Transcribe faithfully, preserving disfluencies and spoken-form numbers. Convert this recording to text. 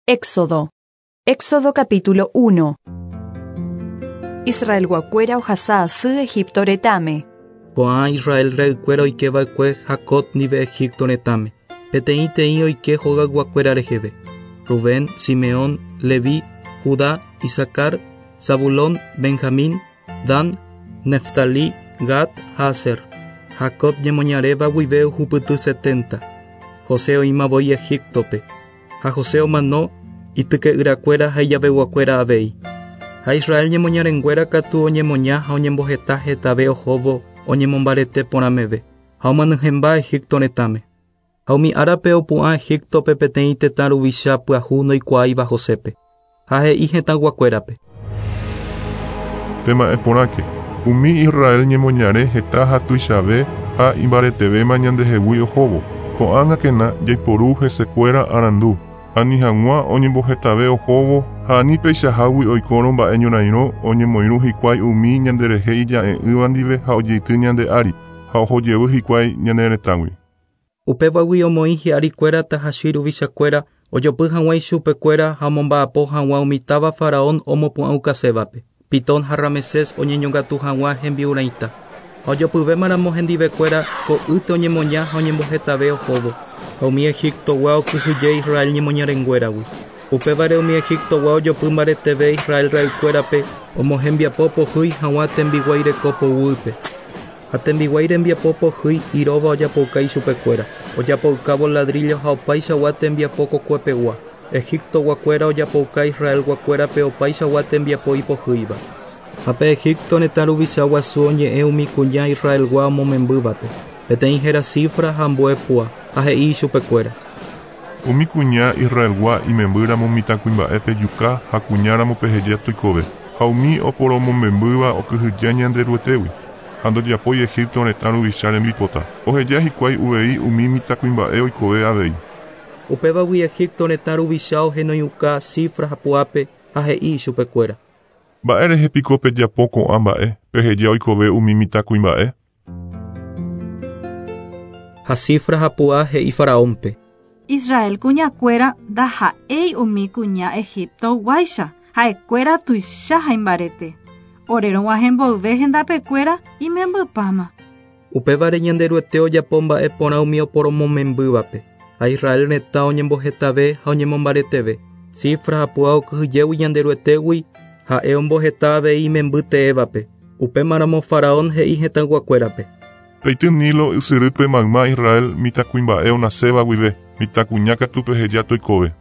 Éxodo. Éxodo capítulo uno. Israelguakuéra ohasa asy Egipto retãme. Ko'ã Israel ra'ykuéra oikeva'ekue Jacob ndive Egipto retãme. Peteĩteĩ oike hogayguakuéra reheve. Rubén, Simeón, Leví, Judá, Isacar, Zabulón, Benjamín, Dan, Neftalí, Gad ha Aser. Jacob ñemoñaréva guive ohupyty setenta. José oĩma voi Egiptope. Ha José omano ityke'yrakuéra ha ijaveguakuéra avei. Ha Israel ñemoñarenguéra katu oñemoña ha oñemboheta hetave ohóvo oñemombarete porãmeve ha omanyhẽmba Egipto retãme. Ha umi árape opu'ã Egiptope peteĩ tetã ruvicha pyahu ndoikuaáiva Josépe. Ha he'i hetãguakuérape. Tema'ẽporãke, umi Israel ñemoñare heta ha tuichave ha imbaretevéma ñandehegui ohóvo. Ko'ág̃akena jaiporu hesekuéra arandu. Ani hag̃ua oñembohetave ohóvo ha ani peichahágui oikórõ mba'e ñorairõ oñemoirũ hikuái umi ñanderehe ija'e'ỹva ndive ha ojeity ñande ári ha ohojevy hikuái ñane retãgui. Upévagui omoĩ hi'arikuéra tahachi ruvichakuéra ojopy hag̃ua ichupekuéra ha omomba'apo hag̃ua umi táva faraón omopu'ãukasévape. Pitón ha Ramesés oñeñongatu hag̃ua hembi'urãita. Ha ojopyvémaramo hendivekuéra ko'ýte oñemoña ha oñembohetave ohóvo. Ha umi Egiptogua okyhyje Israel ñemoñarenguéragui. Upévare umi Egiptogua ojopy mbareteve Israel ra'ykuérape omohembiapo pohýi hag̃ua tembiguái reko poguýpe. Ha tembiguái rembiapo pohýi iróva ojapouka ichupekuéra. Ojapoukávo ladrillo ha opaichagua tembiapo kokuepegua. Egiptoguakuéra ojapouka Israelguakuérape opaichagua tembiapo ipohýiva. Ha pe Egipto retã ruvicha guasu oñe'ẽ umi kuña Israelgua omomembývape. Peteĩ héra Sifra ha ambue Pua, ha he'i ichupekuéra. Umi kuña Israelgua imembýramo mitãkuimba'e pejuka ha kuñáramo peheja toikove. Ha umi oporomomembýva okyhyje Ñanderuetégui. Ha ndojapói Egipto retã ruvicha rembipota. Oheja hikuái uvei umi mitãkuimba'e oikove avei. Upévagui Egipto retã ruvicha ohenoiuka Sifra ha Puápe ha he'i ichupekuéra. Mba'érehe piko pejapo ko'ã mba'e peheja oikove umi mitãkuimba'e? Ha Sifra ha Pua he'i faraónpe. Israel kuñakuéra ndaha'éi umi kuña Egiptoguáicha ha'ekuéra tuicha ha imbarete. Orerõg̃uahẽ mboyve hendapekuéra imembypáma. Upévare Ñanderuete ojapo mba'e porã umi oporomomembývape. Ha Israel retã oñembohetave ha oñemombareteve. Sifra ha Pua okyhyjégui Ñanderuetégui ha'e omboheta avei imemby teévape. Upémaramo faraón he'i hetãyguakuérape. Peity Nilo ysyrýpe mayma Israel mitãkuimba'e onaséva guive, mitãkuña katu peheja toikove.